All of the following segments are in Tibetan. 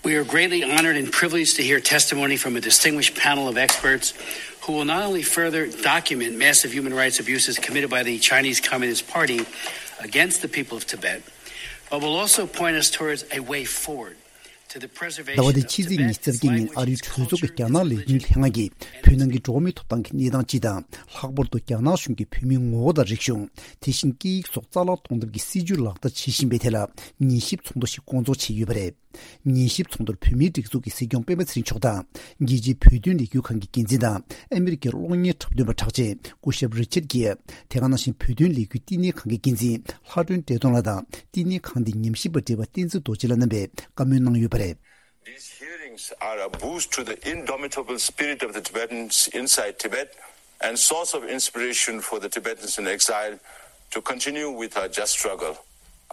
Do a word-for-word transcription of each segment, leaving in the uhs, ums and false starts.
We are greatly honored and privileged to hear testimony from a distinguished panel of experts who will not only further document massive human rights abuses committed by the Chinese Communist Party against the people of Tibet, but will also point us towards a way forward to the preservation of Tibet's language, its culture, its religion, and its people. ཟླ་བ་འདིའི་ཕྱི་ཚེས་ཉི་ཤུ་རྩ་བརྒྱད་ཉིན་ཨ་རིའི་གྲོས་ཚོགས་ཀྱི་རྒྱ་ནག་ལས་དོན་ལྷན་ཁང་གིས་བོད་ནང་གི་འགྲོ་བ་མིའི་ཐོབ་ཐང་གི་གནས་སྟངས་སྤྱི་དང་། ལྷག་པར་དུ་རྒྱ་ནག་གཞུང་གིས་བོད་མིའི་ངོ་བོ་དང་རིག་གཞུང་། དེ་བཞིན་སྐད་ཡིག་སོགས་རྩ་བརླག་གཏོང་ཐབས་ཀྱི་སྲིད་ཇུས་ལག་བསྟར་བྱེད་བཞིན་པའི་ཐད་ལ་ཉན་ཞིབ་ཚོགས་འདུ་ཞིག་བསྐོང་ཚོགས་བྱས་ཡོད་པ་རེད། ཉན་ཞིབ་ཚོགས་འདུར་བོད་མིའི་སྒྲིག་འཛུགས་ཀྱི་སྲིད་སྐྱོང་སྤེན་པ་ཚེ་རིང་མཆོག་དང་། རྒྱལ་སྤྱིའི་བོད་དོན་ལས་འགུལ་ཁང་གི་འགན་འཛིན་དང་། ཨ་མི་རི་ཀའི་གློག་བརྙན་འཁྲབ་སྟོན་པ་གྲགས་ཅན་སྐུ་ཞབས་རི་ཆར་གྷེ། དེ་ག་ནང་བཞིན་བོད་དོན་ལས་འགུལ་བསྟི་གནས་ཁང་གི་འགན་འཛིན་ལྷ་སྒྲོན་བཀྲས་མཐོང་ལགས་དང་། བསྟི་གནས་ཁང་འདིའི་ཉམས་ཞིབ་པ་བགྲེས་པ་བསྟན་འཛིན་རྡོ་རྗེ་ལགས་རྣམ་པས་བཀའ་མོལ་གནང་ཡོད་པ་རེད། These hearings are a boost to the indomitable spirit of the Tibetans inside Tibet and source of inspiration for the Tibetans in exile to continue with our just struggle.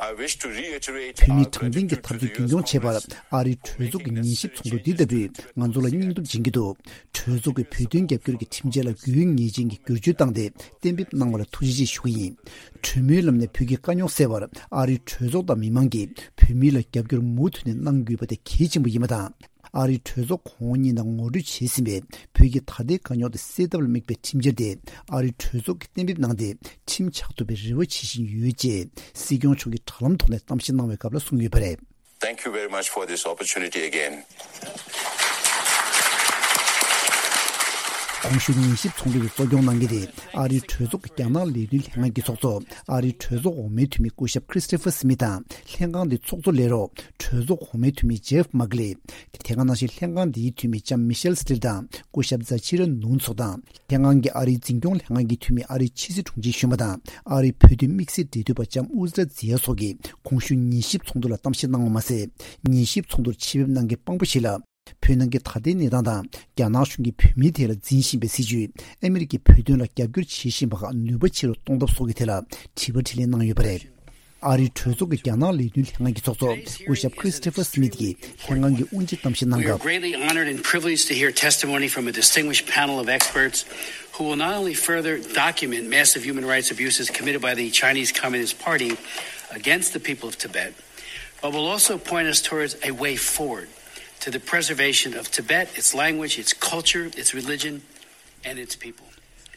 I wish to reiterate our gratitude to the U S Congress བོད་མིའི་དྲང་བདེན་གྱི་འཐབ་རྩོད་རྒྱུན་འཁྱོངས་བྱེད་པར་ཨ་རིའི་གྲོས་ཚོགས་ཀྱི་ཉན་ཞིབ་ཚོགས་འདུ་འདི་ལྟ་བུས་ང་ཚོ་ལ་སྙིང་སྟོབས་སྦྱིན་གྱི་འདུག་གྲོས་ཚོགས་ཀྱིས་བོད་དོན་རྒྱབ་སྐྱོར་གྱི་ཁྲིམས་འཆར་ལ་དགོས་ངེས་ཅན་གྱི་བསྒྱུར་བཅོས་བཏང་སྟེ་གཏན་འབེབས་གནང་བ་ལ་ཐུགས་རྗེ་ཆེ་ཞུ་གི་ཡིན། གྲོས་མོལ་ལམ་ནས་བོད་ཀྱི་དཀའ་རྙོག་སེལ་བར་ཨ་རིའི་གྲོས་ཚོགས་དང་མི་མང་གིས་བོད་མི་ལ་རྒྱབ་སྐྱོར་མུ་མཐུད་ནས་གནང་དགོས་པ་དེ་གལ་ཆེན་པོ་ཡིན་པ་དང་། ཨ་རིའི་གྲོས་ཚོགས་གོང་འོག་གཉིས་ནང་ངོ་སྤྲོད་བྱས་ཟིན་པའི་བོད་ཀྱི་ད་ལྟའི་དཀའ་རྙོག་དེ་སེལ་ཐབས་ལ་དམིགས་པའི་ཁྲིམས་འཆར་དེ་ཨ་རིའི་གྲོས་ཚོགས་ཀྱིས་གཏན་འབེབས་གནང་སྟེ་ཁྲིམས་ཆགས་ཐུབ་པའི་རེ་བ་བྱེད་བཞིན་ཡོད་ཅེས་སྲིད་སྐྱོང་མཆོག་གིས་དྲ་ལམ་ཐོག་ནས་གཏམ་བཤད་གནང་བའི་སྐབས་ལ་གསུངས་ཡོད་པ་རེད། Thank you very much for this opportunity again. གོང་ཞུས་ཉན་ཞིབ་ཚོགས་འདུ་དེ་གཙོ་སྐྱོང་གནང་མཁན་དེ་ཨ་རིའི་གྲོས་ཚོགས་ཀྱི་རྒྱ་ནག་ལས་དོན་ལྷན་ཁང་གི་ཚོགས་གཙོ། ཨ་རིའི་གྲོས་ཚོགས་འོག་མའི་འཐུས་མི་སྐུ་ཞབས་Christopher Smith དང་། ལྷན་ཁང་དེའི་ཚོགས་གཙོ་ལས་རོགས་གྲོས་ཚོགས་འོག་མའི་འཐུས་མི་Jeff Merkley། དེ་ག་ནང་བཞིན་ལྷན་ཁང་འདིའི་འཐུས་མི་ལྕམ་Michelle Steele དང་སྐུ་ཞབས་Zachira Nunes སོགས་དང་། ལྷན་ཁང་གི་ཨ་རིའི་འཛིན་སྐྱོང་ལྷན་ཁང་གི་འཐུས་མི་ཨ་རིའི་ཕྱི་སྲིད་དྲུང་ཆེ་གཞོན་པ་དང་ཨ་རིའི་བོད་དོན་དམིགས་བསལ་འབྲེལ་མཐུད་པ་ལྕམ་ཨུ་ཛི་ར་ཛི་ཡ་སོགས་ཀྱིས་གོང་ཞུས་ཉན་ཞིབ་ཚོགས་འདུ་ལ་གཏམ་བཤད་གནང་བ་མ་ཟད། ཉན་ཞིབ་ཚོགས་འདུར་ཆེད་ཕེབས་གནང་མཁན་དཔང་པོ་ཞིག་ལ། བོད་ནང་གི་ད་ལྟའི་གནས་སྟངས་དང་། རྒྱ་ནག་གཞུང་གིས་བོད་མིའི་ཐད་ལ་འཛིན་བཞིན་པའི་སྲིད་བྱུས། ཨ་མི་རི་ཀས་བོད་དོན་ལ་རྒྱབ་སྐྱོར་བྱེད་བཞིན་པ་ཁག་ནུས་པ་ཆེ་རུ་གཏོང་ཐབས་སོགས་ཀྱི་ཐད་ལ་དྲི་བ་དྲིས་ལན་གནང་ཡོད་པ་རེད། ཨ་རིའི་གྲོས་ཚོགས་ཀྱི་རྒྱ་ནག་ལས་དོན་ལྷན་ཁང་གི་ཚོགས་གཙོ་སྐུ་ཞབས་Christopher Smith ཀྱིས་ལྷན་ཁང་གི་དབུ་འབྱེད་གཏམ་བཤད་གནང་We are སྐབས། Greatly honored and privileged to hear testimony from a distinguished panel of experts who will not only further document massive human rights abuses committed by the Chinese Communist Party against the people of Tibet, but will also point us towards a way forward to the preservation of Tibet, its language, its culture, its religion, and its people.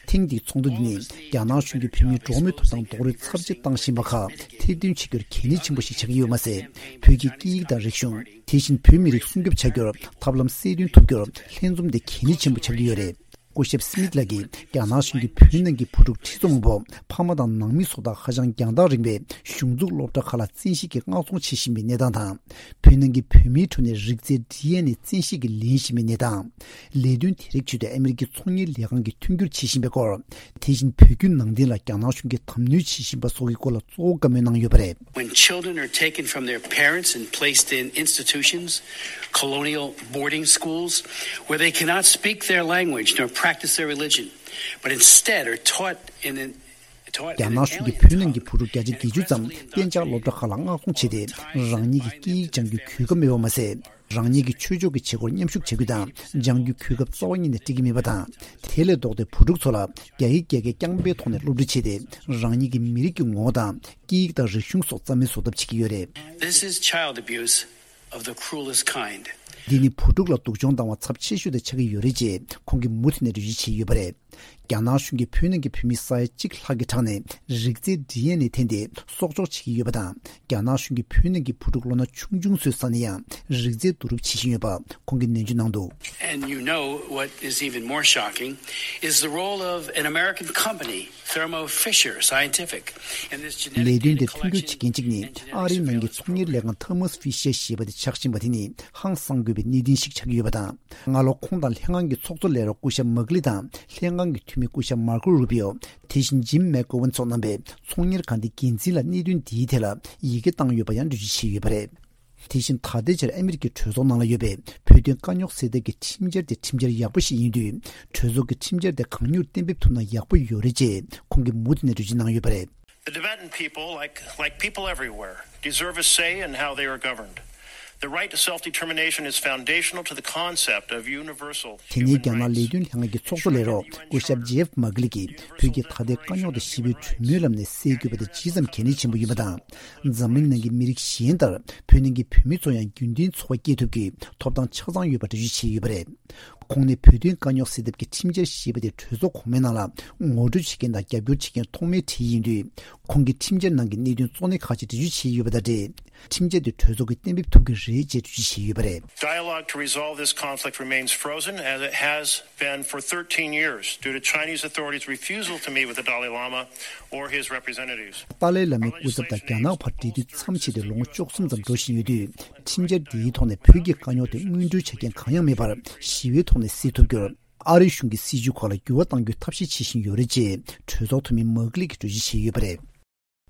ཐེངས་འདིའི་ཚོགས་འདུ་འདི་ནི་རྒྱ་ནག་གཞུང་གིས་བོད་མིའི་འགྲོ་བ་མིའི་ཐོབ་ཐང་རྡོག་རོལ་ཚབས་ཆེ་བཏང་བཞིན་པ་ཁག་ཐེར་འདོན་བྱེད་རྒྱུར་གལ་གནད་ཆེན་པོ་ཞིག་ཆགས་ཀྱི་ཡོད་མ་ཟད། བོད་ཀྱི་སྐད་ཡིག་དང་རིག་གཞུང་། དེ་བཞིན་བོད་མི་རིགས་སྲུང་སྐྱོབ་བྱ་རྒྱུར་ཐབས་ལམ་གསལ་སྟོན་ཐུབ་རྒྱུར་ལྷན་འཛོམས་དེ་གལ་གནད་ཆེན་པོ་ཆགས་ཀྱི་ཡོད་རེད། སྐུ་ཞབས་སི་མིད་ལགས་ཀྱིས་རྒྱ་ནག་གཞུང་གིས་བོད་ནང་གི་བུ་ཕྲུག་ཁྲི་ཚོ་མང་པོ་ཕ་མ་དང་ནང་མི་སོགས་དང་ཧ་ཅང་རྒྱང་ཐག་རིང་བའི་གཞུང་འཛུགས་སློབ་གྲྭ་ཁག་ལ་བཙན་ཤེད་ཀྱིས་མངགས་གཏོང་བྱེད་བཞིན་པའི་གནས་སྟངས་དང་། བོད་ནང་གི་བོད་མིའི་ཁྲོད་ནས་རིགས་རྫས་ཌི་ཨེན་ཨེ་བཙན་ཤེད་ཀྱིས་ལེན་བཞིན་པའི་གནས་སྟངས། ལས་དོན་དེ་རིགས་ཆེད་དུ་ཨ་མི་རི་ཀའི་ཚོང་གཉེར་ལས་ཁང་གིས་མཐུན་འགྱུར་བྱེད་བཞིན་པའི་སྐོར། དེ་བཞིན་བོད་བརྒྱུད་ནང་བསྟན་ལ་རྒྱ་ནག་གཞུང་གིས་དམ་གནོན་བྱེད་བཞིན་པ་སོགས་ཀྱི་སྐོར་ལ་གཙོ་བོ་བཀའ་མོལ་གནང་ཡོད་པ་རེད། When children are taken from their parents and placed in institutions, colonial boarding schools, where they cannot speak their language nor practice their religion, but instead are taught in an རྒྱ་ནག་གཞུང་གིས་བོད་ནང་གི་བུ་ཕྲུག་བརྒྱ་ཆ་བརྒྱད་ཅུ་ཙམ་གཏན་འཇགས་སློབ་གྲྭ་ཁག་ལ་མངགས་གཏོང་བྱས་ཏེ། རང་ཉིད་ཀྱི་སྐད་ཡིག་སྦྱང་རྒྱུའི་གོ་སྐབས་མེད་པ་མ་ཟད། རང་ཉིད་ཀྱི་ཆོས་ཕྱོགས་ཀྱི་བྱེད་སྒོར་མཉམ་ཞུགས་བྱ་རྒྱུ་དང་སྦྱང་རྒྱུའི་གོ་སྐབས་རྩ་བ་ཉིད་ནས་སྤྲད་ཀྱི་མེད་པ་དང་། དེ་ལས་ལྡོག་སྟེ་བུ་ཕྲུག་ཚོ་ལ་རྒྱ་ཡིག་རྒྱ་སྐད་རྐྱང་པའི་ཐོག་ནས་སློབ་ཁྲིད་བྱས་ཏེ། རང་ཉིད་ཀྱི་མི་རིགས་ཀྱི་ངོ་བོ་དང་སྐད་ཡིག་དང་རིག་གཞུང་སོགས་རྩ་མེད་བཟོ་ཐབས་བྱེད་ཀྱི་ཡོད་རེད། This is child abuse of the cruelest kind. འདི་ནི་བུ་ཕྲུག་ལ་སྡུག་སྦྱོང་བཏང་བ་ཚབས་ཆེ་ཤོས་དེ་ཆགས་ཀྱི་ཡོད་རེད་ཅེས་ཁོང་གིས་མུ་མཐུད་ནས་འགྲེལ་བརྗོད་བྱས་ཡོད་པ་རེད། རྒྱ་ནག་གཞུང་གིས་བོད་ནང་གི་བོད་མི་ས་ཡ་གཅིག་ལྷག་གི་ཕྲག་ནས་རིགས་རྫས་ཌི་ཨེན་ཨེ་འཐེན་ཏེ་སྲོག་སྐྱོག་བྱེད་ཀྱི་ཡོད་པ་དང་། རྒྱ་ནག་གཞུང་གིས་བོད་ནང་གི་བུ་ཕྲུག་ལོ་ན་ཆུང་ཆུང་ཚོའི་ས་ནས་ཡང་རིགས་རྫས་བསྡུ་རུབ་བྱེད་བཞིན་ཡོད་པ་ཁོང་གིས་ནན་བརྗོད་གནང་འདུག And you know what is even more shocking is the role of an American company, Thermo Fisher Scientific, in this genetic and ལས་དོན་དེ་མཐུན་འགྱུར་བྱེད་མཁན་གཅིག་ནི་ཨ་རིའི་ནང་གི་ཚོང་གཉེར་ལས་ཁང་Thermo Fisher ཞེས་པ་དེ་ཆགས་བཞིན་པ་དེ་ནི་ཧང་སང་དགོས་པའི་གནད་དོན་ཞིག་ཆགས་ཀྱི་ཡོད་པ་དང་། སྔ་ལོ་ཁོང་དང་ལྷན་ཁང་གི་ཚོགས་གཙོ་ལས་རོགས་སྐུ་ཞབས་མག་ལི་དང་ལྷན་ཁང་གི་འཐུས་མི་སྐུ་ཞབས་མར་ཀོ་རུ་པིའོ། དེ་བཞིན་ཇིམ་མེག་གོ་ཝན་སོགས་རྣམ་པས་ཚོང་གཉེར་ཁང་དེའི་འགན་འཛིན་ལ་གནད་དོན་འདིའི་ཐད་ལ་ཡི་གེ་བཏང་ཡོད་པ་ཡང་འགྲེལ་བརྗོད་བྱས་ཡོད་པ་རེད། དེ་བཞིན་ད་ལྟའི་ཆར་ཨ་མི་རི་ཀའི་གྲོས་ཚོགས་ནང་ལ་ཡོད་པའི་བོད་དོན་དཀའ་རྙོག་སེལ་ཐབས་ཀྱི་ཁྲིམས་འཆར་དེ་ཁྲིམས་འཆར་ཡག་པོ་ཞིག་ཡིན་དུས། གྲོས་ཚོགས་ཀྱིས་ཁྲིམས་འཆར་དེ་གང་མྱུར་གཏན་འབེབས་ཐུབ་ན་ཡག་པོ་ཡོད་རེད་ཅེས་ཁོང་གིས་མུ་མཐུད་ནས་འགྲེལ་བརྗོད་གནང་ཡོད་པ་རེད། The Tibetan people, like, like people everywhere, deserve a say in how they are governed. The right to self-determination is foundational to the concept of universal human rights. དེ་ནས་རྒྱ་ནག་ལས་དོན་ལྷན་ཁང་གི་ཚོགས་གཙོ་ལས་རོགས་སྐུ་ཞབས་ཇེབ་མག་ལི་གིས་བོད་ཀྱི་ད་ལྟའི་དཀའ་རྙོག་དང་ཞི་བའི་གྲོས་མོལ་ལམ་ནས་སེལ་དགོས་པ་དེ་ཇི་ཙམ་གལ་གནད་ཆེན་པོ་ཡིན་པ་དང་། འཛམ་གླིང་ནང་གི་མི་རིགས་གཞན་ལྟར་བོད་ནང་གི་བོད་མི་ཚོ་ཡང་རྒྱུན་ལྡན་འཚོ་བ་སྐྱེལ་ཐུབ་རྒྱུའི་ཐོབ་ཐང་ཆ་ཚང་ཡོད་པ་འགྲེལ་བརྗོད་བྱས་ཡོད་པ་རེད། ཁོང་ནས་བོད་དོན་དཀའ་རྙོག་སེལ་ཐབས་ཀྱི་ཁྲིམས་འཆར་ཞེས་པ་དེ་གྲོས་ཚོགས་གོང་མའི་ནང་ལ་ངོ་སྤྲོད་བྱེད་མཁན་དང་རྒྱབ་སྐྱོར་བྱེད་མཁན་ཐོག་མའི་གྲས་ཡིན་དུས། ཁོང་གིས་ཁྲིམས་འཆར་ནང་གི་གནད་དོན་གཙོ་གནད་ཁག་ཅིག་འགྲེལ་བརྗོད་བྱས་ཡོད་པ་དང་འབྲེལ། ཁྲིམས་འཆར་དེ་གྲོས་ཚོགས་ཀྱིས་གཏན་འབེབས་ཐུབ་ཀྱི་རེད་ཅེས་འགྲེལ་བརྗོད་བྱས་ཡོད་པ་rêd. Dialogue to resolve this conflict remains frozen, as it has been for thirteen years, due to Chinese authorities' refusal to meet with the Dalai Lama or his representatives. ཏཱ་ལའི་བླ་མའི་སྐུ་ཚབ་དང་རྒྱ་ནག་བར་འབྲེལ་མཐུད་མཚམས་ཆད་དེ་ལོ་ངོ་བཅུ་གསུམ་ཙམ་འགྲོ་བཞིན་ཡོད་དུས། ཁྲིམས་འཆར་འདིའི་ཐོག་ནས་བོད་ཀྱི་དཀའ་རྙོག་དེ་སྔོན་འགྲོའི་ཆ་རྐྱེན་གང་ཡང་མེད་པར་ཞི་བའི་ཐོག་ནས་སེལ་ཐུབ་རྒྱུར། ཨ་རིའི་གཞུང་གིས་སྲིད་བྱུས་ཁག་ལ་འགྱུར་བ་གཏང་རྒྱུའི་ཐབས་ཤེས་བྱེད་བཞིན་ཡོད་རེད་ཅེས་གྲོས་ཚོགས་འཐུས་མི་མག་ལི་གིས་འགྲེལ་བརྗོད་བྱས་ཡོད་པ་རེད།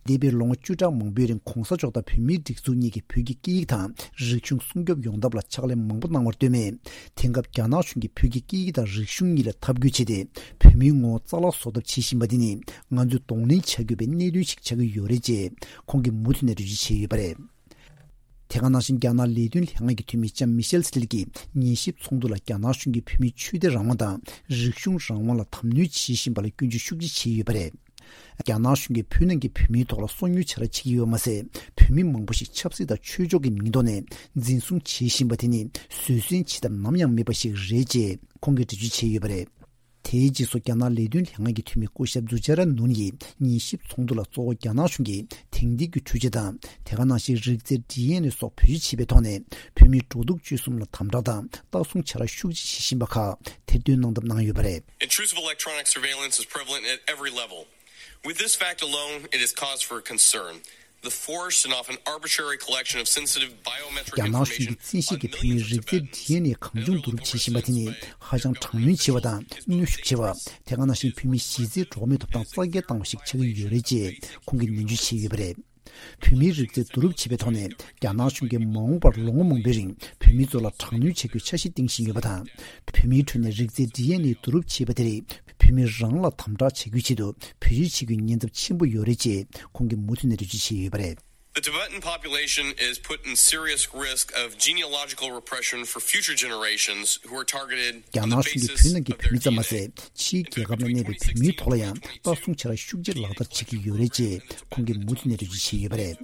འདས་པའི་ལོ་ངོ་བཅུ་ཕྲག་མང་པོའི་རིང་གོང་ས་མཆོག་དང་བོད་མིའི་སྒྲིག་འཛུགས་གཉིས་ཀྱིས་བོད་ཀྱི་སྐད་ཡིག་དང་རིག་གཞུང་སྲུང་སྐྱོབ་ཡོང་ཐབས་ལ་ཕྱག་ལས་མང་པོ་གནང་བར་ལྟོས་མེད། དེང་སྐབས་རྒྱ་ནག་གཞུང་གིས་བོད་ཀྱི་སྐད་ཡིག་དང་རིག་གཞུང་གཉིས་ལ་འཐབ་རྒོལ་བྱས་ཏེ། བོད་མིའི་ངོ་བོ་རྩ་བརླག་བཟོ་ཐབས་བྱེད་བཞིན་པ་འདི་ནི་ང་ཚོས་གདོང་ལེན་བྱ་དགོས་པའི་གནད་དོན་ཞིག་ཆགས་ཀྱི་ཡོད་རེད་ཅེས་ཁོང་གིས་མུ་མཐུད་ནས་འགྲེལ་བརྗོད་བྱས་ཡོད་པ་རེད། དེ་ག་ནང་བཞིན་རྒྱ་ནག་ལས་དོན་ལྷན་ཁང་གི་འཐུས་མི་ལྕམ་མི་ཤེལ་སི་ལི་གིས་ཉན་ཞིབ་ཚོགས་འདུ་ལ་རྒྱ་ནག་གཞུང་གིས་བོད་མིའི་ཆོས་དད་རང་དབང་དང་རིག་གཞུང་རང་དབང་ལ་དམ་གནོན་བྱེད་བཞིན་པ་ལ་སྐྱོན་བརྗོད་ཤུགས་ཆེ་བྱས་ཡོད་པ་རེད། རྒྱ་ནག་གཞུང་གིས་བོད་ནང་གི་བོད་མིའི་ཐོག་ལ་སོ་ཉུལ་བྱ་ར་བྱེད་ཀྱི་ཡོད་མ་ཟད། བོད་མི་མང་པོ་ཞིག་ཆབ་སྲིད་དང་ཆོས་ཕྱོགས་ཀྱི་མིང་ཐོག་ནས་འཛིན་བཟུང་བྱེད་བཞིན་པ་དེ་ནི་བཟོད་བསྲན་བྱེད་ཐབས་ནམ་ཡང་མེད་པ་ཞིག་རེད་ཅེས་ཁོང་གིས་འགྲེལ་བརྗོད་བྱས་ཡོད་པ་རེད། དེའི་རྗེས་སུ་རྒྱ་ནག་ལས་དོན་ལྷན་ཁང་གི་འཐུས་མི་སྐུ་ཞབས་ཛུ་ཅཱ་ར་ནུན་ཡིས་ཉན་ཞིབ་ཚོགས་འདུ་ལ་གཙོ་བོ་རྒྱ་ནག་གཞུང་གིས་དེང་དུས་ཀྱི་འཕྲུལ་ཆས་དང་དེ་ག་ནང་བཞིན་རིགས་རྫས་ཌི་ཨེན་ཨེ་སོགས་བེད་སྤྱོད་བྱས་པའི་ཐོག་ནས་བོད་མིའི་འགྲོ་འདུག་སྤྱོད་གསུམ་ལ་དམ་དྲག་དང་ལྟ་སྲུང་བྱ་ར་ཤུགས་ཆེ་བྱེད་བཞིན་པ་ཁག་ཐེར་འདོན་གནང་ཐབས་གནང་ཡོད་པ་རེད། Intrusive electronic surveillance is prevalent at every level. With this fact alone, it is cause for concern. The forced and often arbitrary collection of sensitive biometric information on millions of Tibetans is unacceptable. རྒྱ་ནག་གཞུང་གིས་བཙན་ཤེད་ཀྱིས་བོད་མིའི་རིགས་རྫས་ཌི་ཨེན་ཨེ་གང་བྱུང་བསྡུ་རུབ་བྱེད་བཞིན་པ་དེ་ནི་ཧ་ཅང་དྲག་གནོན་ཆེ་བ་དང་གནོན་ཤུགས་ཆེ་བ། དེ་ག་ནང་བཞིན་བོད་མིའི་གཞི་རྩའི་འགྲོ་བ་མིའི་ཐོབ་ཐང་རྩ་འགེངས་བཏང་བ་ཞིག་ཆགས་ཀྱི་ཡོད་རེད་ཅེས་ཁོང་གིས་ནན་བརྗོད་བྱས་ཡོད་པ་རེད། བོད་མིའི་རིགས་རྫས་བསྡུ་རུབ་བྱེད་པའི་ཐོག་ནས་རྒྱ་ནག་གཞུང་གིས་མ་འོངས་པར་ལོ་ངོ་མང་པོའི་རིང་བོད་མི་ཚོ་ལ་དྲག་གནོན་བྱ་རྒྱུའི་འཆར་གཞི་བཏིང་བཞིན་ཡོད་པ་དང་། བོད་མིའི་ཁྲོད་ནས་རིགས་རྫས་ཌི་ཨེན་ཨེ་བསྡུ་རུབ་བྱས་པ་དེ་རིགས་བོད་མི་རང་ལ་དམ་དྲག་བྱ་རྒྱུའི་ཆེད་དུ་བེད་སྤྱོད་བྱེད་རྒྱུའི་ཉེན་ཚབས་ཆེན་པོ་ཡོད་རེད་ཅེས་ཁོང་གིས་མུ་མཐུད་ནས་འགྲེལ་བརྗོད་བྱས་ཡོད་པ་རེད། The Tibetan population is put in serious risk of genealogical repression for future generations who are targeted on the basis of their D N A. རྒྱ་ནག་གཞུང་གིས་བོད་ནང་གི་བོད་མི་ཙམ་མ་ཟད། ཕྱིའི་རྒྱལ་ཁབ་ནང་གནས་པའི་བོད་མིའི་ཐོག་ལ་ཡང་ལྟ་སྲུང་བྱ་ར་ཤུགས་ཆེར་ལག་བསྟར་བྱེད་ཀྱི་ཡོད་རེད་ཅེས་ཁོང་གིས་མུ་མཐུད་ནས་འགྲེལ་བརྗོད་བྱས་ཡོད་པ་རེད།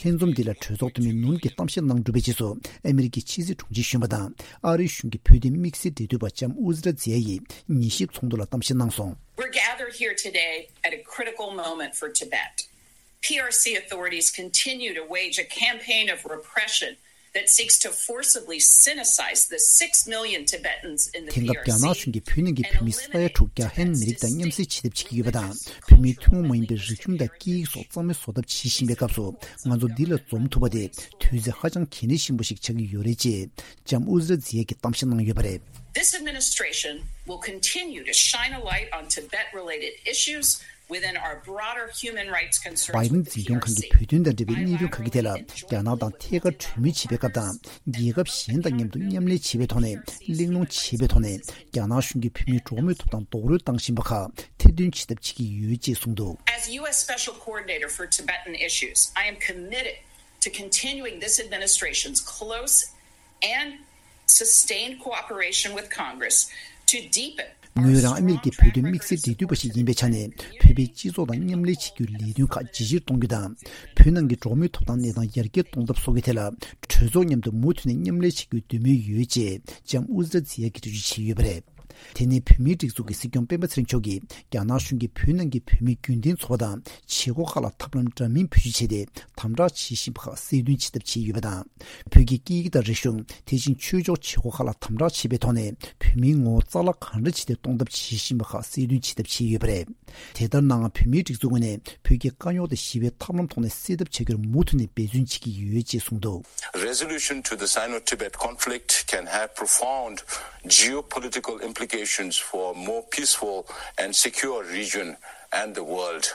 ལྷན་འཛོམས་འདི་ལ་གྲོས་ཚོགས་འཐུས་མི་ནུན་གྱིས་གཏམ་བཤད་གནང་གྲུབ་པའི་རྗེས་སུ་ཨ་མི་རི་ཀའི་ཕྱི་སྲིད་དྲུང་ཆེ་གཞོན་པ་དང་ཨ་རིའི་གཞུང་གི་བོད་དོན་དམིགས་བསལ་འབྲེལ་མཐུད་པ་ལྕམ་ཨུ་ཛི་ར་ཛི་ཡ་ཡིས་ཉན་ཞིབ་ཚོགས་འདུ་ལ་གཏམ་བཤད་གནང་སོང་། We're gathered here today at a critical moment for Tibet. P R C authorities continue to wage a campaign of repression that seeks to forcibly sinicize the six million Tibetans in the དེང་སྐབས་རྒྱ་ནག་གཞུང་གིས་བོད་ནང་གི་བོད་མི་ས་ཡ་དྲུག་རྒྱ་ཧན་མི་རིགས་དང་མཉམ་བསྲེས་བྱེད་ཐབས་བྱེད་ཀྱི་ཡོད་པ་དང་། བོད་མིའི་ཐུན་མོང་མ་ཡིན་པའི་རིག་གཞུང་དང་སྐད་ཡིག་སོགས་རྩ་མེད་བཟོ་ཐབས་བྱེད་བཞིན་པའི་སྐབས་སུ། ང་ཚོ་འདི་ལ་འཛོམས་ཐུབ་པ་དེ་དུས་ཚོད་ཧ་ཅང་གལ་གནད་ཆེན་པོ་ཞིག་ཆགས་ཀྱི་ཡོད་རེད་ཅེས་ལྕམ་ཨུ་ཛི་ར་ཛི་ཡ་གིས་གཏམ་བཤད་གནང་ཡོད་པ་རེད། This administration will continue to shine a light on Tibet-related issues within our broader human rights concerns with the P R C. བའི་ཌེན་འཛིན་སྐྱོང་ཁང་གིས་བོད་དོན་དང་འབྲེལ་བའི་གནད་དོན་ཁག་གི་ཐད་ལ་རྒྱ་ནག་དང་ཐད་ཀར་གྲོས་མོལ་བྱེད་པའི་སྐབས་དང་། རྒྱལ་ཁབ་གཞན་དང་མཉམ་དུ་མཉམ་ལས་བྱེད་པའི་ཐོག་ནས་གླེང་སློང་བྱེད་པའི་ཐོག་ནས་རྒྱ་ནག་གཞུང་གིས་བོད་མིའི་འགྲོ་བ་མིའི་ཐོབ་ཐང་རྡོག་རོལ་བཏང་བཞིན་པ་ཁག་ཐེར་འདོན་བྱེད་ཐབས་བྱེད་ཀྱི་ཡོད་ཅེས་གསུངས་འདུག As U S Special Coordinator for Tibetan Issues, I am committed to continuing this administration's close and sustained cooperation with Congress to deepen ངོས་རང་ཨ་མི་རི་ཀའི་བོད་དོན་དམིགས་བསལ་འབྲེལ་མཐུད་པ་ཞིག་ཡིན་པའི་ཆ་ནས། བོད་པའི་སྤྱི་ཚོགས་དང་མཉམ་ལས་བྱེད་རྒྱུའི་ལས་དོན་ཁག་ཇེ་ཆེར་གཏོང་རྒྱུ་དང་། བོད་ནང་གི་འགྲོ་བ་མིའི་ཐོབ་ཐང་གནས་སྟངས་ཡར་རྒྱས་གཏོང་ཐབས་སོགས་ཀྱི་ཐད་ལ། གྲོས་ཚོགས་མཉམ་དུ་མུ་མཐུད་ནས་མཉམ་ལས་བྱེད་རྒྱུའི་འདོད་མོས་ཡོད་ཅེས་ལྕམ་ཨུ་ཛི་ར་ཛི་ཡ་གིས་འགྲེལ་བརྗོད་བྱས་ཡོད་པ་རེད། དེ་ནས་བོད་མིའི་སྒྲིག་འཛུགས་ཀྱི་སྲིད་སྐྱོང་སྤེན་པ་ཚེ་རིང་མཆོག་གིས་རྒྱ་ནག་གཞུང་གིས་བོད་ནང་གི་བོད་མི་རྒྱུན་ལྡན་ཚོ་པ་དང་བྱེད་སྒོ་ཁག་ལ་ཐབས་ལམ་འདྲ་མིན་བེད་སྤྱོད་བྱས་ཏེ། དམ་དྲག་བྱེད་བཞིན་པ་ཁག་གསལ་སྟོན་བྱེད་ཐབས་བྱས་ཡོད་པ་དང་། བོད་ཀྱི་སྐད་ཡིག་དང་རིག་གཞུང་། དེ་བཞིན་ཆོས་ཕྱོགས་བྱེད་སྒོ་ཁག་ལ་དམ་དྲག་བྱས་པའི་ཐོག་ནས་བོད་མིའི་ངོ་བོ་རྩ་བརླག་གང་འདྲ་བྱས་ཏེ་གཏོང་ཐབས་བྱེད་བཞིན་པ་ཁག་གསལ་སྟོན་བྱེད་ཐབས་བྱས་ཡོད་པ་རེད། དེ་ལྟར་ནའང་བོད་མིའི་སྒྲིག་འཛུགས་ངོས་ནས་བོད་ཀྱི་དཀའ་རྙོག་དེ་ཞི་བའི་ཐབས་ལམ་ཐོག་ནས་སེལ་ཐབས་བྱ་རྒྱུར་མུ་མཐུད་ནས་འབད་བརྩོན་བྱེད་ཀྱི་ཡོད་ཅེས་གསུངས་འདུག Resolution to the Sino-Tibet conflict can have profound geopolitical implications for a more peaceful and secure region and the world.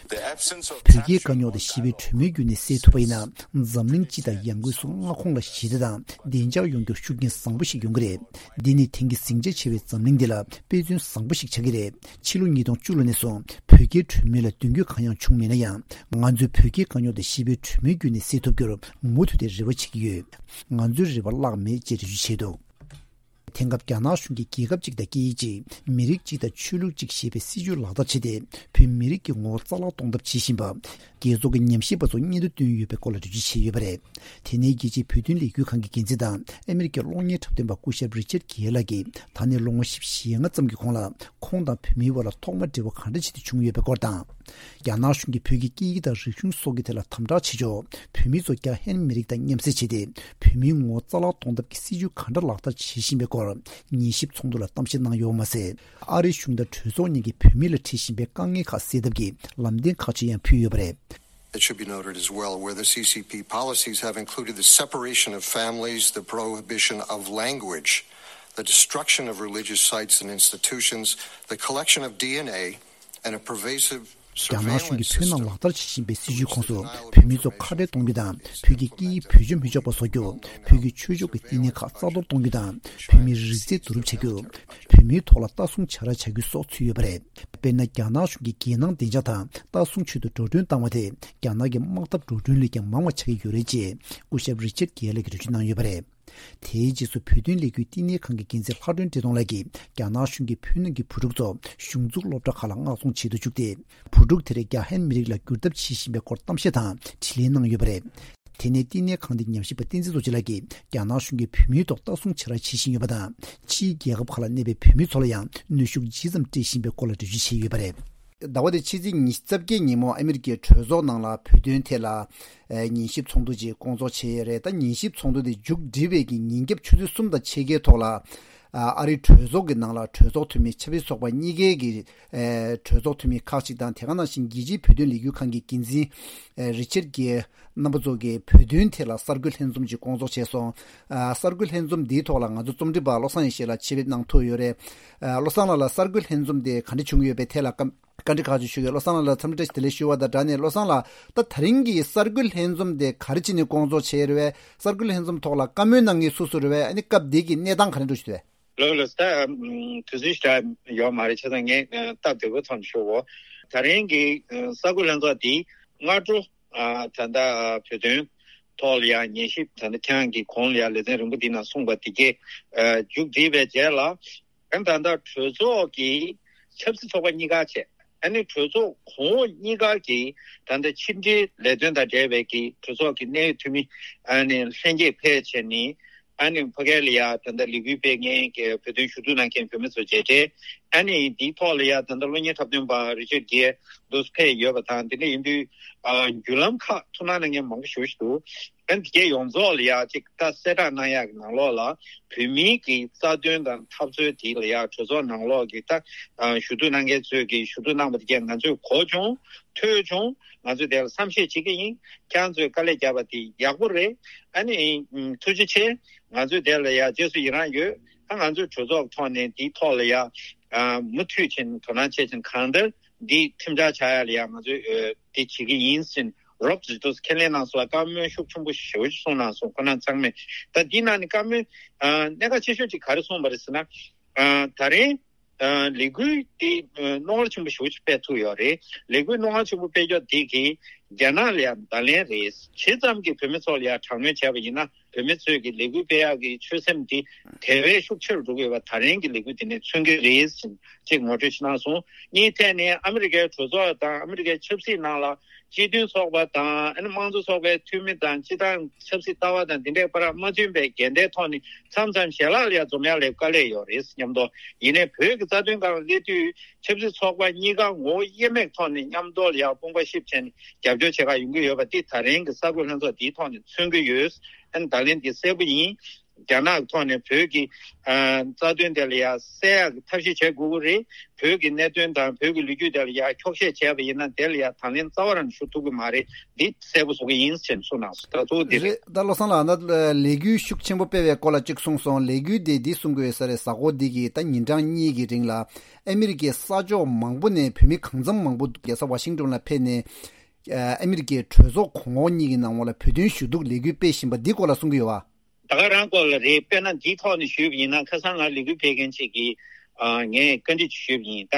The absence of བོད་རྒྱའི་དཀའ་རྙོག་དེ་ཞི་བའི་གྲོས་མོལ་བརྒྱུད་ནས་སེལ་ཐུབ་པ་ཡིན་ན། འཛམ་གླིང་སྤྱི་དང་ཡང་སྒོས་སུ་མངའ་ཁོངས་ལ་ཞི་བདེ་དང་བདེ་འཇགས་ཡོང་རྒྱུར་ཤུགས་རྐྱེན་བཟང་པོ་ཞིག་ཡོང་གི་རེད། འདི་ནི་དེང་གི་ཟིང་ཆ་ཆེ་བའི་འཛམ་གླིང་འདི་ལ་དཔེ་མཚོན་བཟང་པོ་ཞིག་ཆགས་ཀྱི་རེད། ཕྱི་ལོ་ཉིས་སྟོང་བཅུ་ལོ་ནས་བཟུང་བོད་རྒྱའི་གྲོས་མོལ་ལ་མདུན་སྐྱོད་གང་ཡང་བྱུང་མེད་ན་ཡང་། ང་ཚོས་བོད་རྒྱའི་དཀའ་རྙོག་དེ་ཞི་བའི་གྲོས་མོལ་བརྒྱུད་ནས་སེལ་ཐུབ་རྒྱུར་མུ་མཐུད་དེ་རེ་བ་བྱེད་ཀྱི་ཡོད། ང་ཚོའི་རེ་བ་བརླག་མེད་ཅེས་འགྲེལ་བརྗོད་བྱས་འདུག་དེང་སྐབས་རྒྱ་ནག་གཞུང་གིས་རྒྱལ་ཁབ་གཅིག་དང་སྐད་ཡིག་གཅིག་མི་རིགས་གཅིག་དང་ཆོས་ལུགས་གཅིག་ཞེས་པའི་སྲིད་བྱུས་ལག་བསྟར་བྱས་ཏེ། བོད་མི་རིགས་ཀྱི་ངོ་བོ་རྩ་བརླག་གཏོང་ཐབས་བྱེད་བཞིན་པ། རྒྱལ་ཚོགས་ཀྱི་ཉམས་ཞིབ་པ་ཚོ་སྙན་ཐོ་བཏོན་ཡོད་པའི་སྐོར་ལ་འགྲེལ་བརྗོད་བྱས་ཡོད་པ་རེད། དེ་ནས་རྒྱལ་སྤྱིའི་བོད་དོན་ལས་འགུལ་ཁང་གི་འགན་འཛིན་དང་ཨ་མི་རི་ཀའི་གློག་བརྙན་འཁྲབ་སྟོན་པ་སྐུ་ཞབས་རི་ཅར་གྷེ་ལགས་ཀྱིས། ད་ནས་ལོ་ངོ་བཞི་བཅུ་ཞེ་ལྔ་ཙམ་གྱི་གོང་ལ་ཁོང་དང་བོད་མིའི་བར་ལ་ཐོག་མ་འབྲེལ་བ་ག་འདྲ་བྱས་ཏེ་བྱུང་ཡོད་པའི་སྐོར་དང་། རྒྱ་ནག་གཞུང་གིས་བོད་ཀྱི་སྐད་ཡིག་དང་རིག་གཞུང་སོགས་ཀྱི་ཐད་ལ་དམ་དྲག་བྱེད་ཕྱོགས། བོད་མི་ཚོ་རྒྱ་ཧན་མི་རིགས་དང་མཉམ་བསྲེས་བྱས་ཏེ། བོད་མིའི་ངོ་བོ་རྩ་བརླག་གཏོང་ཐབས་ཀྱི་སྲིད་བྱུས་ག་འདྲ་ལག་བསྟར་བྱེད་བཞིན་པའི་སྐོར། ཉན་ཞིབ་ཚོགས་འདུ་ལ་གཏམ་བཤད་གནང་ཡོད་པ་མ་ཟད། ཨ་རིའི་གཞུང་དང་གྲོས་ཚོགས་གཉིས་ཀྱིས་བོད་མི་ལ་འཕྲད་བཞིན་པའི་དཀའ་ངལ་ཁག་སེལ་ཐབས་ཀྱི་ལམ་སྟོན་ཁག་ཅིག་ཡང་ཕུལ་ཡོད་པ་རེད། It should be noted as well, where the C C P policies have included the separation of families, the prohibition of language, the destruction of religious sites and institutions, the collection of D N A, and a pervasive རྒྱ་ནག་གཞུང་གིས་བོད་ནང་ལག་བསྟར་བྱེད་བཞིན་པའི་སྲིད་བྱུས་ཁོངས་སུ། བོད་མི་ཚོ་ཁ་བྲལ་གཏོང་རྒྱུ་དང་། བོད་ཀྱི་སྐད་ཡིག་བེད་སྤྱོད་མི་ཆོག་པ་བཟོ་རྒྱུ། བོད་ཀྱི་ཆོས་ཕྱོགས་ཀྱི་བསྟི་གནས་ཁག་རྩ་གཏོར་གཏོང་རྒྱུ་དང་། བོད་མིའི་རིག་རྩལ་བསྡུ་རུབ་བྱ་རྒྱུ། བོད་མིའི་ཐོག་ལ་ལྟ་སྲུང་བྱ་ར་བྱ་རྒྱུ་སོགས་ཚུད་ཡོད་པ་རེད། དཔེར་ན། རྒྱ་ནག་གཞུང་གིས་རྒྱལ་ནང་བདེ་འཇགས་དང་ལྟ་སྲུང་ཆེད་དུ་འགྲོ་གྲོན་བཏང་བ་དེ། རྒྱ་ནག་གི་དམག་འཐབ་འགྲོ་གྲོན་ལས་ཀྱང་མང་བ་ཆགས་ཀྱི་ཡོད་རེད་ཅེས། སྐུ་ཞབས་རི་ཅར་གྷེ་ལགས་ཀྱིས་འགྲེལ་བརྗོད་གནང་ཡོད་པ་རེད། དེའི་རྗེས་སུ་བོད་དོན་ལས་འགུལ་བསྟི་གནས་ཁང་གི་འགན་འཛིན་ལྷ་སྒྲོན་བཀྲས་མཐོང་ལགས་ཀྱིས། རྒྱ་ནག་གཞུང་གིས་བོད་ནང་གི་བུ་ཕྲུག་ཚོ་གཞུང་བཙུགས་སློབ་གྲྭ་ཁག་ལ་མངགས་གཏོང་བྱེད་དུ་བཅུག་སྟེ། བུ་ཕྲུག་དེར་རྒྱ་ཧན་མི་རིགས་ལ་བསྒྱུར་ཐབས་བྱེད་བཞིན་པའི་སྐོར་གཏམ་བཤད་དང་དྲིས་ལན་གནང་ཡོད་པ་རེད། དེ་ནས་བསྟི་གནས་ཁང་དེའི་ཉམས་ཞིབ་པ་བསྟན་འཛིན་རྡོ་རྗེ་ལགས་ཀྱིས། རྒྱ་ནག་གཞུང་གིས་བོད་མིའི་ཐོག་ལྟ་སྲུང་བྱ་ར་བྱེད་བཞིན་ཡོད་པ་དང་། ཕྱིའི་རྒྱལ་ཁབ་ཁག་ལ་གནས་པའི་བོད་མི་ཚོ་ལ་ཡང་གནོན་ཤུགས་ཇི་ཙམ་སྤྲད་བཞིན་པའི་སྐོར་ལ་འགྲེལ་བརྗོད་བྱས་ཡོད་པ་རེད། ཟླ་བ་འདིའི་ཕྱི་ཚེས་ཉི་ཤུ་རྩ་བརྒྱད་ཉིན་མོ་ཨ་མི་རི་ཀའི་གྲོས་ཚོགས་ནང་ལ་བོད་དོན་ཐད་ལ། ཨ། ཉན་ཞིབ་ཚོགས་འདུ་ཅིག་སྐོང་ཚོགས་བྱས་ཡོད་རེད། ད་ཉན་ཞིབ་ཚོགས་འདུ་དེ་མཇུག་བསྒྲིལ་བའི་གི་ཉིན་རྒྱབ་ཆུ་ཚོད་གསུམ་དང་ཕྱེད་ཀའི་ཐོག་ལ། ཨ། ཨ་རིའི་གྲོས་ཚོགས་ཀྱི་ནང་ལ་གྲོས་ཚོགས་འཐུས་མི་ཆབ་སྲིད་ཚོགས་པ་གཉིས་ཀའི་གི། ཨ། གྲོས་ཚོགས་འཐུས་མི་ཁག་ཅིག་དང་། དེ་ག་ནང་བཞིན་རྒྱལ་སྤྱིའི་བོད་དོན་ལས་འགུལ་ཁང་གི་འགན་འཛིན། ཨ། རི་ཅར་གྷེ་རྣམ་པ་ཚོ་གིས་བོད་དོན་ཐད་ལ་གསར་འགོད་ལྷན་འཛོམས་ཅིག་སྐོང་ཚོགས་བྱས་སོང་། ཨ། གསར་འགོད་ལྷན་འཛོམས་འདིའི་ཐོག་ལ་ང་ཚོ་རྩོམ་སྒྲིག་པ་བློ་བཟང་ཡེ་ཤེས་ལགས་ཆེད་ཕེབས་གནང་ཐུབ་ཡོད་རེད། ཨ། བློ་བཟང་ལགས་ལ་གསར་འགོད་ལྷན་འཛོམས་དེ་ག་འདྲ་བྱུང་ཡོད་པའི་ཐད་ལ་བཀའ་བཀའ་འདྲི་ཁག་ཅིག་ཞུ་གི་ཡོད། བློ་བཟང་ལགས་ལ་འཚམས་འདྲི་བདེ་ལེགས་ཞུ་བ་དང་སྦྲགས་ནས། བློ་བཟང་ལགས། ད་དེ་རིང་གི་གསར་འགོད་ལྷན་འཛོམས་དེ་ག་རེ་བྱས་ནས་སྐོང་ཚོགས་བྱས་རེད་པས། གསར་འགོད་ལྷན་འཛོམས་ཐོག་ལ་བཀའ་མོལ་གནང་མཁན་སུ་སུ་རེད་པས། ཨ་ནི་སྐབས་དེ་གི་གནས་སྟངས་ག་རེ་འདྲ་ཞིག་འདུག་པས། ལགས་ལགས། ད་ཨམ། དུས་ཚོད་ཞེ་དྲག་ཡོད་མ་རེད། བྱས་ཙང་ངས་ཨ། སྟབས་བདེ་པོའི་ཐོག་ནས་ཞུ་གོ། ད་རིང་གི་ཨ། གསར་འགོད་ལྷན་ཚོགས་འདི་སྔ་དྲོ། ཨ། ད་ལྟ་ཨ། བོད་དོན་ཐོག་ལ་ཡང་ཉན་ཞིབ། ད་ལྟ་ཁྱེད་རང་གིས་གོང་ལ་ཡང་ལེ་ཚན་རིང་པོ་འདི་ནང་གསུངས་པ་འདི་གས། ཨ། མཇུག་བསྒྲིལ་བའི་རྗེས་ལ། ཨ་ནི་ད་ལྟ་གྲོས་ཚོགས་ཀྱི་ཆབ་སྲིད་ཚོགས་པ་གཉིས་ཀ་བྱས། ཨ་ནི་གྲོས་ཚོགས་གོང་འོག་གཉིས་ཀ་གི་ད་ལྟ་ཕྱི་འབྲེལ་ལས་དོན་དང་འབྲེལ་བའི་གི་གྲོས་ཚོགས་ཀྱི་གནད་ཡོད་འཐུས་མི། ཨ་ནི་ལྷན་རྒྱས་ཕེབས་བྱས་ནས། ཨ་ནི་ཕ་གི་ལ་ཡ་ད་ལྟ་ལས་འགུལ་སྤེལ་མཁན་གྱི་བོད་དོན་ཞུ་གཏུག་གནང་མཁན་བོད་མི་ཚོ་མཇལ་འཕྲད། ཨ་ནི་འདིའི་ཐོག་ལ་ཡ་ད་ལྟ་གློག་བརྙན་འཁྲབ་སྟོན་པ་རི་ཅར་གྷེ་འདུག་ཕེབས་ཡོད་པ་དང་། དེ་འདྲ་ཡིན་དུས། ཨ། བརྒྱུད་ལམ་ཁག་ཐུགས་སྣང་གནང་མཁན་མང་པོ་ཞེ་པོ་ཞིག་འདུག་ཨ་ནི་དེ་གའི་ཡོངས་རྫོགས་ལ་ཡ་ཅིག་ད་གསལ་བསྒྲགས་གནང་ཡག་གི་ནང་ལོགས་ལ། བོད་མིའི་གི་རྩ་དོན་དང་འཐབ་རྩོད་དེ་ལ་ཡ་གྲོས་ཚོགས་ནང་ལོགས་ཀྱི་ད། ཨ། ཞུ་གཏུག་གནང་མཁན་ཚོས་ཀྱི་ཞུ་གཏུག་གནང་བ་དེ་གས་ང་ཚོས་གོ་བྱུང་། ཐོས་བྱུང་། ང་ཚོས་དེ་ལ་བསམ་ཤེས་བྱེད་ཀྱི་ཡིན། ཁྱེད་རང་ཚོས་དཀའ་ལས་བརྒྱབ་པ་དེ་ཡག་པོ་རེད། ཨ་ནི་ཐུགས་རྗེ་ཆེ། ང་ཚོས་དེ་ལ་ཡ་རྗེས་སུ་ཡི་རང་ཡོད། ད་ང་ཚོས་གྲོས་ཚོགས་ཐོག་ནས་འདིའི་ཐོག་ལ་ཡ། ཨ། མུ་མཐུད་བྱས་ནས་དོ་སྣང་བྱས་བྱས་གང་ལྟར་འདི་ཁྲིམས་འཆར་ཆགས་ཡ་ལ་ཡ་ང་ཚོས་ཨ། དེ་བྱེད་ཀྱི་ཡིན་ཟེར་ནས་རོབ་ཙམ་དུ་ཁས་ལེན་གནང་སོང་བ། བཀའ་མོལ་ཤུགས་ཆེན་པོ་ཞེ་པོ་ཅིག་གསུངས་གནང་སོང་། ཁོ་རང་ཚང་མས། ད་འདི་ནང་ནས་བཀའ་མོལ། ཨ། གནད་འགག་ཆེ་ཤོས་ཅིག་ག་རེ་གསུངས་པ་རེད་ཟེར་ན། ཨ། ད་རེས། ཨ། ལས་འགུལ་དེ་རྣོ་ངར་ཆེན་པོ་ཞེ་པོ་ཅིག་སྤེལ་ཐུབ་ཡོད་རེད། ལས་འགུལ་རྣོ་ངར་ཆེན་པོ་སྤེལ་ཕྱོགས་དེ་གིས་རྒྱ་ནག་ལ་ཡང་བརྡ་ལན་རེད། ཇི་ཙམ་གྱིས་བོད་མི་ཚོ་ལ་ཡང་དྲག་གནོན་བྱས་པ་ཡིན་ན། བོད་མི་ཚོས་ཀྱི་ལས་འགུལ་སྤེལ་ཡག་གི་ཆོད་སེམས་དེ་དེ་བས་ཤུགས་ཆེ་རུ་འགྲོ་གི་ཡོད་པ་ད་རིང་གི་ལས་འགུལ་དེ་ནས་མཚོན་གྱི་རེད་ཅེས་ཅིག་ངོ་སྤྲོད་ཅིག་གནང་སོང་། གཉིས་ཐད་ནས་ཨ་མི་རི་ཀའི་གྲོས་ཚོགས་དང་ཨ་མི་རི་ཀའི་ཆབ་སྲིད་ནང་ལ་སྤྱི་མཐུན་ཚོགས་པ་དང་། ཨ་ནི་དམངས་གཙོ་ཚོགས་པའི་འཐུས་མི་དང་། སྤྱི་བཏང་ཆབ་སྲིད་ལྟ་བ་དང་དེ་འདྲའི་བར་མ་མཐུན་པའི་འགལ་ཟླའི་ཐོག་ནས་མཚམས་མཚམས་ཞལ་ལག་ལ་ཡང་འཛོམས་ཡག་ལ་དཀའ་ལས་ཡོད་རེད་སྙམ་དོ། ཡིན་ནའི་བོད་ཀྱི་རྩ་དོན་སྒང་ལ་སླེབས་དུས། ཆབ་སྲིད་ཚོགས་པ་གཉིས་ཀ་ངོ་བོ་དབྱེར་མེད་ཐོག་ནས་མཉམ་དུ་ལ་ཡང་དཔུང་པ་གཤིབ་བྱས་ནས་རྒྱབ་སྐྱོར་བྱེད་ག་ཡོང་གི་ཡོད་པ་འདི་ད་རིང་གི་གསར་འགོད་ལྷན་ཚོགས་འདིའི་ཐོག་ནས་མཚོན་གྱི་ཡོད། ཨ་ནི་བརྡ་ལན་འདི་གསལ་པོ་ཡིན། རྒྱ་ནག་གི་ཐོག་ནས་བོད་ཀྱི་ཨ་རྩ་དོན་དེ་ལ་ཡ་གསལ་ཡག་གི་ཐབས་ཤེས་བྱེད་དགོས་ཀྱི་རེད། བོད་ཀྱི་གནད་དོན་དང་བོད་ཀྱི་ལོ་རྒྱུས་དེ་ལ་ཡ་འཁྱོག་བཤད་བྱས་པ་ཡིན་ན་དེ་ལ་ཡ་དང་ལེན་རྩ་བ་རང་ཞུ་ཐུབ་ཀྱི་མ་རེད། འདི་གསལ་པོ་བཟོ་གི་ཡིན་ཞེས་གསུངས་གནང་སོང་། ད་གཙོ་བོ་འདི་རེད། རེད། ད་བློ་བཟང་ལགས་ད་ལས་འགུལ་ཤུགས་ཆེན་པོ་སྤེལ་བའི་སྐོར་ལ་གཅིག་གསུངས་སོང་། ལས་འགུལ་དེ་འདི་གསུང་དགོས་ས་རེད། གཟའ་འཁོར་འདི་གི་ད་ཉིན་གྲངས་གཉིས་ཀྱི་རིང་ལ་ཨ་མི་རི་ཀའི་ས་ཕྱོགས་མང་པོ་ནས་བོད་མི་གང་འཚམ་མང་པོ་རྒྱལ་ས་ཝ་ཤིང་ཏོན་ལ་ཕེབས་ནས་ཨ་མི་རི་ཀའི་གྲོས་ཚོགས་གོང་འོག་གཉིས་ཀྱི་ནང་ལ་བོད་དོན་ཞུ་གཏུག་ལས་འགུལ་སྤེལ་བཞིན་པ་འདི་སྐོར་ལ་གསུང་གི་ཡོད་བ། ད་ག་རང་སྐོར་ལ་རེད། དཔེར་ན་འདིའི་ཐོག་ནས་ཞུས་པ་ཡིན་ན་ཁ་སང་ང་ལས་འགུལ་སྤེལ་མཁན་ཅིག་གིས་ཨ་ངས་བཀའ་འདྲི་ཞུས་པ་ཡིན། ད་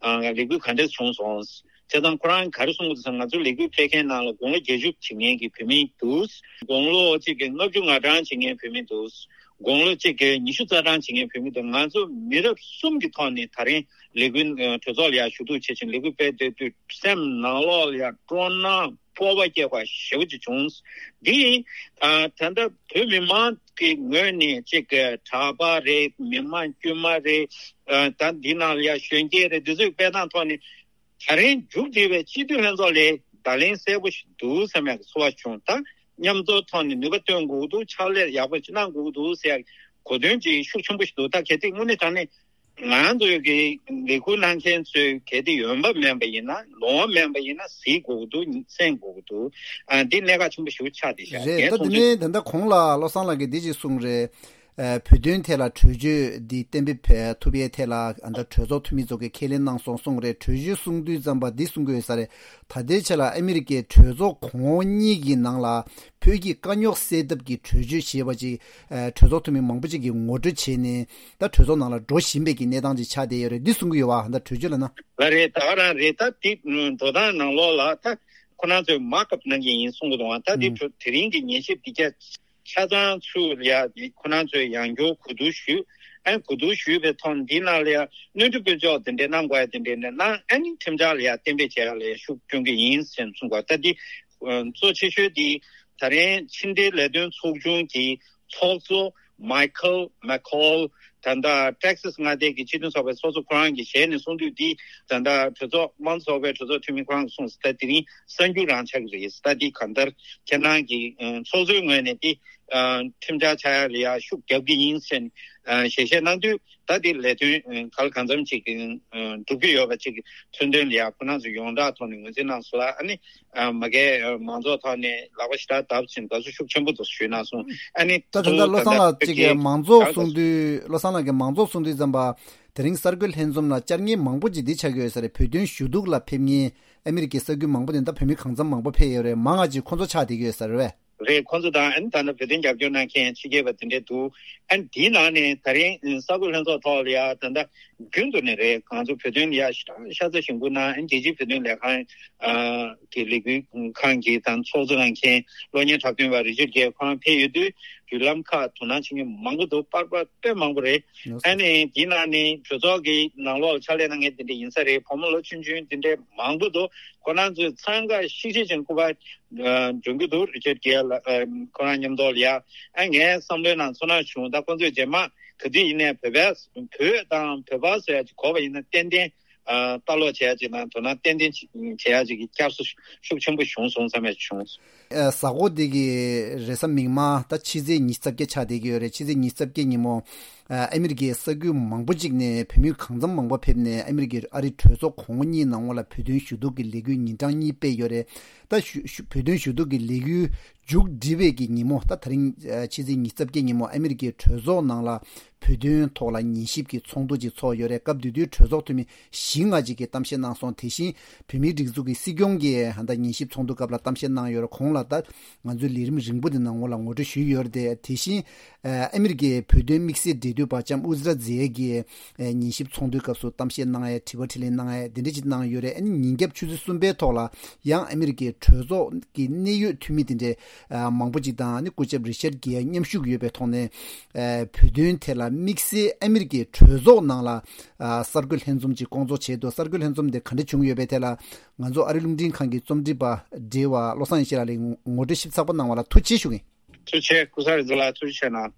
ཨ་ལས་འགུལ་ག་འདྲ་བྱུང་སོང་། བྱས་ཙང་ཁོ་རང་ག་རེ་གསུངས་འདུག་ཟེར་ན། ང་ཚོ་ལས་འགུལ་སྤེལ་མཁན་ནང་ལ་དགུང་ལོ་བརྒྱད་ཅུ་བྱེད་མཁན་གྱི་བུད་མེད་འདུག་དགུང་ལོ་གཅིག་གི་ལྔ་བཅུ་ང་གྲངས་བྱེད་མཁན་བུད་མེད་འདུག་དགུང་ལོ་གཅིག་གི་ཉི་ཤུ་རྩ་གྲངས་བྱེད་མཁན་བུད་མེད་འདུག་ང་ཚོ་མི་རབས་གསུམ་གྱི་ཐོག་ནས་ད་རིང་ལས་འགུལ་ཨ་གྲོས་ཚོགས་ལ་ཡང་ཞུ་གཏུག་བྱེད་བཞིན་ལས་འགུལ་སྤེལ་བསྡད་དུས་སེམས་ནང་ལོགས་ལ་ཡང་སྤྲོ་སྣང་སྤོབས་པ་སྐྱེ་བ་ཞེ་པོ་ཅིག་བྱུང་། འདི་ཨ་ད་ལྟ་བོད་མི་མང་གི་ངོས་ནས་གཅིག་གི་གྲྭ་པ་རེད། མི་མང་དཀྱུས་མ་རེད། ཨ་ད་འདི་ནང་ལ་ཡང་གཞོན་སྐྱེས་རེད། འདི་ཚོའི་སྤེལ་སྟངས་ཐོག་ནས་ད་རིང་མཇུག་སྒྲིལ་བའི་སྤྱི་འཐུས་ལྷན་ཚོགས་ལས་བརྡ་ལན་གསལ་པོ་ཞིག་འདུག་བསམ་ཡག་གི་ཚོར་བ་བྱུང་། ད་མཉམ་འཛོམས་ཐོག་ནས་ནུས་པ་བཏོན་དགོས་ཀྱི་འདུག་ཕྱག་ལས་ཡག་པོ་ཅིག་གནང་དགོས་ཀྱི་འདུག་ཟེར་ཡག་གོ་དོན་ཅིག་ཤུགས་ཆེན་པོ་ཞིག་འདུག་ད་གལ་ཏེ་དངོས་གནས་དྲང་གནས་ང་ཚོའི་གི་ལས་འགུལ་གནང་མཁན་ཚོས་གལ་ཏེ་ཡོང་འབབ་མེད་པ་ཡིན་ན། ལོང་བ་མེད་པ་ཡིན་ན་གཟིགས་དགོས་ཀྱི་འདུག་གསན་དགོས་ཀྱི་འདུག་ཨ་འདི་གནད་འགག་ཆེན་པོ་ཞིག་ཆགས་བསྡད་ཤག་རེད། ངས་ད་མཐོང་དེ་ནས་ད་ལྟ་གོང་ལ་བློ་བཟང་ལགས་ཀྱིས་འདི་ཅིག་གསུངས་རེད། ཨ་བོད་དོན་ཐད་ལ་གྲོས་ཆོད་འདི་གཏན་འབེབས་ཐུབ་པའི་ཐད་ལ་ཨ་ད་གྲོས་ཚོགས་འཐུས་མི་ཚོ་གིས་ཁས་ལེན་གནང་སོང་གསུངས་རེད། གྲོས་ཆོད་གསུང་དུས་ཙམ་པ་འདི་གསུང་གི་ཡོད་ས་རེད། ད་ལྟའི་ཆ་ལ་ཨ་མི་རི་ཀའི་གྲོས་ཚོགས་གོང་འོག་གཉིས་ཀྱི་ནང་ལ་བོད་ཀྱི་དཀའ་རྙོག་སེལ་ཐབས་ཀྱི་གྲོས་ཆོད་ཞེས་པ་ཅིག་ཨ་གྲོས་ཚོགས་འཐུས་མི་མང་པོ་ཅིག་གིས་ངོ་སྤྲོད་བྱས་ནས་ད་གྲོས་ཚོགས་ནང་ལ་འགྲོ་བཞིན་པའི་གི་གནས་སྟངས་ཅིག་ཆགས་བསྡད་ཡོད་རེད། འདི་གསུང་གི་ཡོད་བ། ད་གྲོས་ཆོད་ལབ་ན། ལགས་རེད། ད་ག་རང་རེད། ད་འདི་འགྲོ་སྟངས་ནང་ལོགས་ལ་ད་ཁོ་རང་ཚོས་མག་ཨབ་གནང་གི་ཡིན་གསུང་གི་འདུག་ད་འདི་ཨུམ་དེ་རིང་གི་ཉན་ཞིབ་འདི་རྒྱ་ཆ་ཚང་ཚུར་ཡ་ཁོ་རང་ཚོས་ཡང་བསྐྱར་གོ་བསྡུར་ཞུས། ཨ་ནི་གོ་བསྡུར་ཞུས་པའི་ཐོག་འདི་ནང་ལ་ཡ་སྣོན་འཕྲི་དཀོན་མཆོག་དེ་འདྲས་གནང་དགོས་ཡ་དེ་འདྲས་ནས་གནང་། ཨ་ནི་ཁྲིམས་འཆར་ལ་ཡ་གཏན་འབེབས་བྱས་ཡ་ལ་ཡ་ཤུགས་སྐྱོན་གྱི་ཡིན་ཟེར་གསུངས་པ། ད་འདི་གཙོ་ཆེ་ཤོས་འདི་ད་རིང་ཕྱི་འབྲེལ་ལས་དོན་ཚོགས་ཆུང་གི་ཚོགས་གཙོ་Michael McCaul། ད་ལྟ་Texas་མངའ་སྡེ་གི་སྤྱི་མཐུན་ཚོགས་པའི་ཚོགས་གཙོ་ཁོ་རང་གི་ཞལ་ནས་གསུང་དུས་འདི་ད་ལྟ་གྲོས་ཚོགས་དམངས་གཙོ་ཚོགས་པའི་གྲོས་ཚོགས་འཐུས་མི་ཁོ་རང་གིས་གསུངས་སོང་། ད་དེ་རིང་གསར་འགྱུར་རང་ཆགས་ཀྱི་རེད། ད་འདི་གང་ལྟར་ཁྱེད་རང་གི་ཚོགས་གཙོའི་ངོས་ནས་འདི་ཁྲིམས་འཆར་ཆགས་ཡ་ལ་ཡ་ཤུགས་རྒྱབ་ཀྱི་ཡིན་ཟེར་ཞལ་བཞེས་གནང་དུས། ད་འདི་ལས་དོན་ག་ལ་གང་འཚམ་ཅིག་གི་འགྲུབ་ཀྱི་ཡོད་པ་ཅིག་མཚོན་དོན་ལ་ཡ་ཁོ་རང་ཚོ་ཡོངས་གྲགས་ཐོག་ནས་ངོས་འཛིན་གནང་སོང་ལ། ཨ་ནི་མ་གིའི་མང་ཚོགས་ཐོག་ནས་ལག་པ་ཞེ་དྲག་བརྡབས་ཕྱིན་དགའ་བསུ་ཤུགས་ཆེན་པོ་འདུག་ཞུས་གནང་སོང་། ཨ་ནི་ད་ད་ལྟ་བློ་བཟང་ལགས་ཅིག་གིས་མང་ཚོགས་གསུང་དུས། བློ་བཟང་ལགས་ཀྱིས་མང་ཚོགས་གསུང་དུས་ཙམ་པ་དེ་རིང་གསར་འགོད་ལྷན་འཛོམས་ལ་བཅར་མཁན་མང་པོ་ཅིག་འདི་ཆགས་ཀྱི་ཡོད་ས་རེད། བོད་དོན་ཞུ་གཏུག་ལ་ཕེབས་མཁན་ཨ་མི་རི་ཀའི་ས་ཁུལ་མང་པོ་ནས་ད་བོད་མི་གང་འཚམ་མང་པོ་ཕེབས་ཡོད་རེད། མང་ང་ཅིག་ཁོང་ཚོ་ཆགས་བསྡད་ཀྱི་ཡོད་ས་རེད་བས། རེད། ཁོང་ཚོ་དང་ཨ་ནི་ད་ལྟ་བོད་དོན་རྒྱབ་སྐྱོར་གནང་མཁན་ཕྱི་རྒྱལ་བ་དེ་འདྲས་འདུག་ཨ་ནི་དེའི་ནང་ནས་ད་རིང་གསར་འགོད་ལྷན་ཚོགས་ཐོག་ལ་ཡ་ད་ལྟ་རྒྱུན་དུ་ནས་རེད། ང་ཚོ་བོད་དོན་ལ་ཡ་ཤ་ཤ་ཚ་ཞིབ་འཇུག་གནང་། ཨ་ནི་རྒྱལ་སྤྱིའི་བོད་དོན་ལས་ཁང་གི་ལས་འགུལ་ཁང་གི་དང་ཚོགས་གཙོ་གནང་མཁན་གློག་བརྙན་འཁྲབ་སྟོན་པ་རི་ཅར་གྷེ་ཁོ་རང་ཕེབས་ཡོད་དུས་བརྒྱུད་ལམ་ཁག་དོ་སྣང་བྱེད་མཁན་མང་པོ་འདུག་པར་པར་དཔེ་མང་པོ་རེད། ཨ་ནི་དེའི་ནང་ནས་གྲོས་ཚོགས་ཀྱི་ནང་ལོགས་ལ་ཕྱག་ལས་གནང་མཁན་དེ་འདྲས་ཡིན་ས་རེད། བུ་མོ་ལོ་ཆུང་ཆུང་དེ་འདྲས་མང་པོ་འདུག་ཁོ་རང་ཚོས་འཚང་ཁ་ཤིག་ཤིག་བྱས་སྐུ་པར་སྒྲོན་གྱི་འདུག་རི་ཅར་གྷེ་ལ་ཁོ་རང་མཉམ་དུ་ལ་ཡ། ཨ་ངའི་བསམ་བློའི་ནང་ཚོར་སྣང་བྱུང་། ད་ཁོ་ཚོས་རྗེས་མ་ག་དུས་ཡིན་ནའི་བོད་པ་བོད་དང་བོད་པ་ཟེར་ཡ་ཅིག་གོ་བ་ཡིན་ན་ཏན་ཏན་ལྟ་ཀློག་བྱེད་ཡ་ཅིག་དང་དོ་སྣང་ཏན་ཏན་བྱེད་ཡ་ཅིག་གི་བསྐྱར་གསོ་ཤུགས་ཆེན་པོ་བྱུང་སོང་བསམ་ཡ་བྱུང་། ཨ་གཟའ་འཁོར་འདི་གི་རེས་གཟའ་མིག་དམར་ད་ཕྱི་ཚེས་ཉི་ཤུ་རྩ་བརྒྱད་ཆགས་བསྡད་ཀྱི་ཡོད་རེད། ཕྱི་ཚེས་ཉི་ཤུ་རྩ་བརྒྱད་ཉིན་མོ་ཨ་ཨ་མི་རི་ཀའི་ས་ཁུལ་མང་པོ་ཅིག་ནས་བོད་མི་གང་འཚམ་མང་པོ་ཕེབས་ནས་ཨ་མི་རི་ཀའི་ཨ་རི་གྲོས་ཚོགས་གོང་འོག་གཉིས་ནང་ལ་བོད་དོན་ཞུ་གཏུག་གི་ལས་འགུལ་ཉིན་གྲངས་གཉིས་སྤེལ་ཡོད་རེད། ད་ཞུ་ཞུ་བོད་དོན་ཞུ་གཏུག་གི་ལས་འགུལ་མཇུག་སྒྲིལ་བའི་གི་ཉིན་མོ། ད་དེ་རིང་ཨ་ཕྱི་ཚེས་ཉི་ཤུ་རྩ་བརྒྱད་ཉིན་མོ་ཨ་མི་རི་ཀའི་གྲོས་ཚོགས་ནང་ལ་བོད་དོན་ཐོག་ལ་ཉན་ཞིབ་ཀྱི་ཚོགས་འདུ་ཅིག་ཚོགས་ཡོད་རེད། སྐབས་དེ་དུས་གྲོས་ཚོགས་འཐུས་མི་བཞི་ལྔ་ཅིག་གིས་གཏམ་བཤད་གནང་སོང་། དེ་བཞིན་བོད་མིའི་སྒྲིག་འཛུགས་ཀྱི་སྲིད་སྐྱོང་གིས་ད་ཉན་ཞིབ་ཚོགས་འདུ་སྐབས་ལ་གཏམ་བཤད་གནང་ཡོད་རེད། གོང་ལ་ད་ང་ཚོའི་ལས་རིམ་རིང་པོ་དེ་ནང་ལ་ངོ་སྤྲོད་ཞུས་ཡོད་རེད་དེ། དེ་བཞིན་ཨ་ཨ་མི་རི་ཀའི་བོད་དོན་དམིགས་བསལ་འབྲེལ་མཐུད་པ་ལྕམ་ཨུ་ཛི་ར་ཛེ་གིས་ཨ་ཉན་ཞིབ་ཚོགས་འདུའི་སྐབས་སུ་གཏམ་བཤད་གནང་ཡས། དྲི་བ་དྲིས་ལན་གནང་ཡས་དེ་འདྲ་ཅིག་གནང་ཡོད་རེད། ཨ་ནི་ཉིན་རྒྱབ་ཆུ་ཚོད་གསུམ་པའི་ཐོག་ལ་ཡང་ཨ་མི་རི་ཀའི་གྲོས་ཚོགས་ཀྱི་གནད་ཡོད་འཐུས་མི་དེ་འདྲའི་ཨ་མང་པོ་ཅིག་དང་ཨ་ནི་སྐུ་ཞབས་རི་ཆར་གྷེ་མཉམ་ཞུགས་ཡོད་པའི་ཐོག་ནས་ཨ་བོད་དོན་ཐད་ལ་དམིགས་བསལ་ཨ་མི་རི་ཀའི་གྲོས་ཚོགས་ནང་ལ་ཨ་གསར་འགོད་ལྷན་འཛོམས་ཅིག་སྐོང་ཚོགས་བྱས་འདུག་གསར་འགོད་ལྷན་འཛོམས་དེ་ག་འདྲ་བྱུང་ཡོད་པའི་ཐད་ལ་ང་ཚོ་ཨ་རི་རླུང་འཕྲིན་ཁང་གི་རྩོམ་སྒྲིག་པ་བགྲེས་པ་བློ་བཟང་ཡེ་ཤེས་ལགས་ལ་ངོ་སྤྲོད་ཞིབ་ཚགས་པོ་གནང་བ་ལ་ཐུགས་རྗེ་ཆེ་ཞུ་གི་ཡིན། ཐུགས་རྗེ་ཆེ། སྐུ་ཚེ་རིང་ལགས་ཐུགས་རྗེ་ཆེ་གནང་།